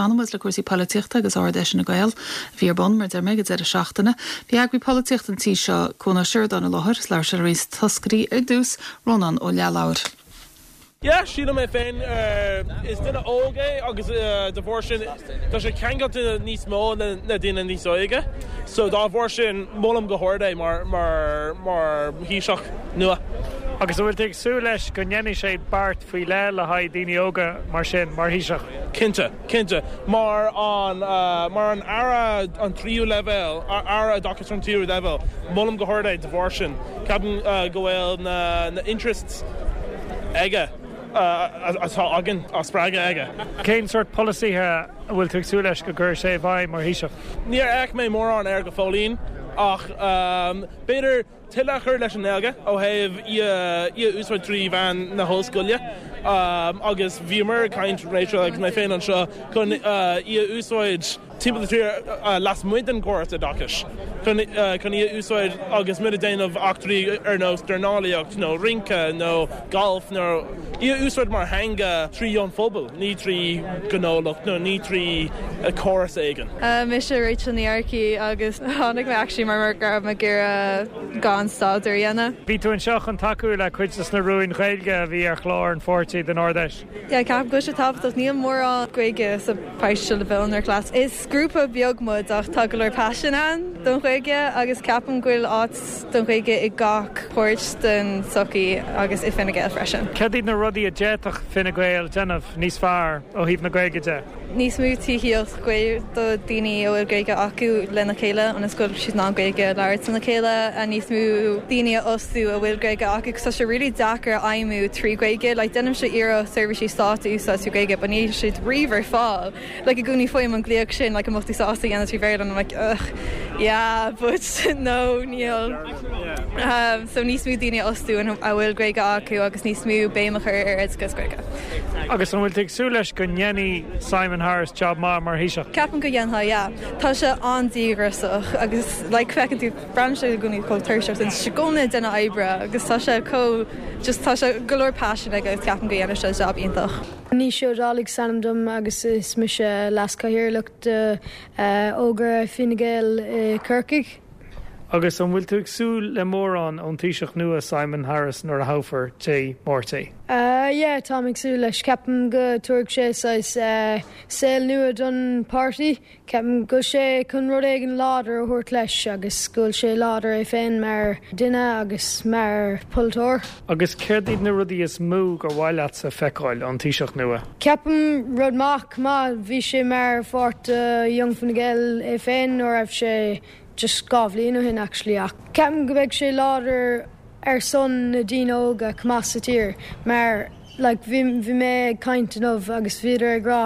Fanann muid le cúrsaí poilitíochta agus Ard Fheis Fhine Gael a bhí ar bun, mar a deir mé, ag an deireadh seachtaine. Bhí eagraí polaitíochta an tí seo, Cuan Ó Seireadáin i láthair is labhair sé le roinnt toscairí ar dtús, Rónán Ó Leathlabhair. Yeah, sílim é féin, is duine óg é agus de bharr sin tá sé ceangailte níos mó le daoine níos óige. So dá bharr sin molaim go hard é mar mar mar Thaoiseach nua. Agus an bhfuil tú ag súil leis go ndéanfaidh sé beart faoi leith le haghaidh daoine óga mar sin, mar Thaoiseach? Cinnte, cinnte. Mar an mar an Aire an tríú leibhéal, Aire Oideachais an tríú leibhéal, molaim go hard é de bharr sin. Ceapaim go bhfuil na na interests aige atá againn á spreagadh aige. Cén sórt polasaithe a bhfuil tú ag súil leis go gcuirfidh sé i bhfeidhm mar Thaoiseach? Níor fhéach mé mórán air go fóillín ach b'fhéidir tuilleadh a chur leis an nGaeilge ó thaobh í a úsáid trí mheán na hollscoile agus bhíomar ag caint, Rachel agus mé féin anseo, chun í a úsáid timpeall na tíre lasmuigh den gcóras oideachais chun chun í a úsáid agus muid ag déanamh eachtraí ar nós dornálaíocht nó rince nó galf nó í a úsáid mar theanga trí an phobal, ní trí ghnólacht nó ní trí chóras éigin. Mise Rachel Ní Earcaigh agus tháinig mé actually mar mar go raibh mé ag iarraidh gan staidéar a dhéanamh. Bhí tú anseo chun tacú le cuid de na rúin Ghaeilge a bhí ar chlár an pháirtí don Ard-Fheis. Yeah, ceapaim go bhfuil sé tábhachtach. Níl mórán Gaeilge sa pháiste le bheith ar class. Is grúpa beag muid ach tá go leor paisean ann don Ghaeilge agus ceapaim go bhfuil áit don Ghaeilge i gach páirt den tsochaí agus i Fine Gael freisin. Cad iad na rudaí a d'fhéadfadh Fine Gael déanamh níos fearr ó thaobh na Gaeilge de? Níos mó tithíocht do daoine a bhfuil Gaeilge acu lena chéile ionas go bhfuil siad in ann Gaeilge a labhairt lena chéile, níos mó daoine a fhostú a bhfuil Gaeilge acu 'cause tá sé really deacair a fheidhmiú trí Ghaeilge. Like déanaimse iarracht seirbhísí stáit a úsáid trí Ghaeilge but níl siad riamh ar fáil. Like i gcónaí faighim an glaoch sin like an mbeadh tú sásta a dhéanamh trí Bhéarla and I'm like ugh yeah but no níl. So níos mó daoine a fhostú a bhfuil Gaeilge acu agus níos mó béim a chur ar oideachas Gaeilge. Agus an bhfuil tú ag súil leis go ndéanfaidh Simon Harris jab maith mar Thaoiseach? Ceapaim go ndéanfaidh, yeah. Tá sé an-díograiseach agus like feiceann tú, braitheann sé i gcónaí chomh tuirseach sin, tá sé i gcónaí ag déanamh oibre agus tá sé chomh, just tá sé go leor passion aige agus ceapaim go ndéanfaidh sé jab iontach. Naoise Ó Dálaigh is ainm dom agus is mise Leas-Chathaoirleach de Ógra Fine Gael i Corcaigh. Agus an bhfuil tú ag súil le mórán ón Taoiseach nua Simon Harris nuair a thoghfar Dé Máirt é? Yeah, táim ag súil leis. Ceapaim go dtabharfaidh sé saghas saol nua don páirtí. Ceapaim go bhfuil sé chun rud éigin láidir a thabhairt leis agus go bhfuil sé láidir é féin mar duine agus mar pholaiteoir. Agus céard iad na rudaí is mó gur mhaith leatsa feiceáil ón Taoiseach nua? Ceapaim rud maith, chomh maith, bhí sé mar pháirt de Young Fine Gael é féin nuair a raibh sé just 2 bhliain ó shin actually ach ceapaim go mbeidh sé láidir ar son na daoine óga chomh maith sa tír mar like bhí bhí mé ag caint inniu agus bhíodar ag rá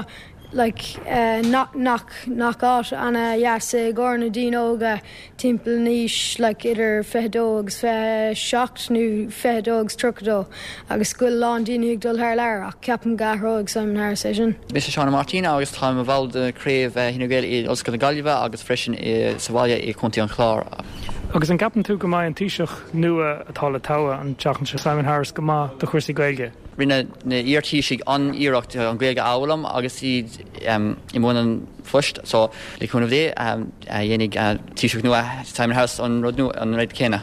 like nach nach nach áit ana dheas é i gcomhair na daoine óga timpeall na aois like idir 22 agus 27 nó 22 agus 32 agus go bhfuil a lán daoine ag dul thar lear ach ceapaim go athróidh Simon Harris é sin. Mise Seán Ó Máirtín agus táim i mo bhall de chraobh Fhine Gael i Ollscoil na Gaillimhe agus freisin sa bhaile i gContae an Chláir. Agus an gceapann tú go mbeidh an Taoiseach nua atá le toghadh an tseachtain seo, Simon Harris, go maith do chúrsaí Gaeilge? Rinne na iar-Thaoisigh an-iarracht an Ghaeilge a fhoghlaim agus iad i mbun an phoist so le cúnamh Dé dhéanfaidh Taoiseach nua Simon Harris an rud nua, an rud céanna.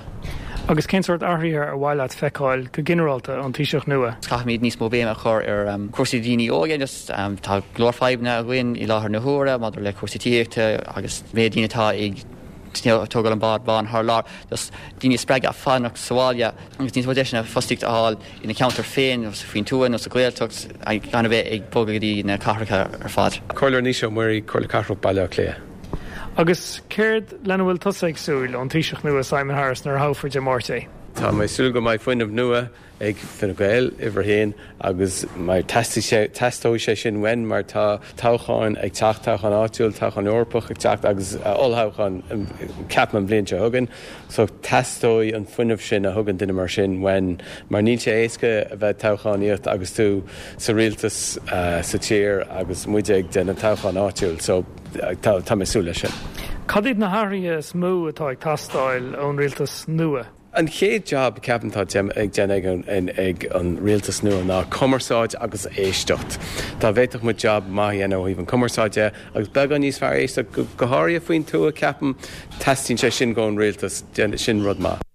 Agus cén sórt athruithe ar mhaith leat feiceáil go ginearálta ón Taoiseach nua? Caithfimid níos mó béime a chur ar chúrsaí daoine óga. Just tá go leor fadhbanna againn i láthair na huaire maidir le cúrsaí tithíochta agus méid daoine atá ag tógáil an bád bán thar lear. Just daoine a spreagadh fanacht sa bhaile agus níos mó deiseanna fostaíocht a fháil ina cheantar féin, nó faoin tuath nó sa Ghaeltacht, gan a bheith ag bogadh go dtí na cathracha ar fad. Comhairleoir Naoise Ó Muirí, Comhairle Cathrach Baile Átha Cliath. Agus céard lena bhfuil tusa ag súil ón Taoiseach nua Simon Harris nuair a thoghfar Dé Máirt é? Tá mé ag súil go mbeidh fuinneamh nua ag Fine Gael, uimhir a haon, agus mar teastóidh sé sin uainn mar tá toghcháin ag teacht, toghchán áitiúil, toghchán Eorpach ag teacht agus olltoghchán ceapaim an bhliain seo chugainn. So teastóidh an fuinneamh sin a thugann duine mar sin uainn mar níl sé éasca a bheith ag toghchánaíocht agus tú sa rialtas sa tír agus muide ag déanamh toghchán áitiúil. So tá mé ag súil leis sin. Cad iad na hathruithe is mó atá ag teastáil ón rialtas nua? An chéad jab, ceapaim, atá ag déanamh ag an rialtas nua ná cumarsáid agus éisteacht. Dá bhféadfadh muid jab maith a dhéanamh ó thaobh an cumarsáid de agus beagán níos fearr éisteacht, go háirithe faoin tuath, ceapaim, teastaíonn sé sin ón rialtas, sin rud maith.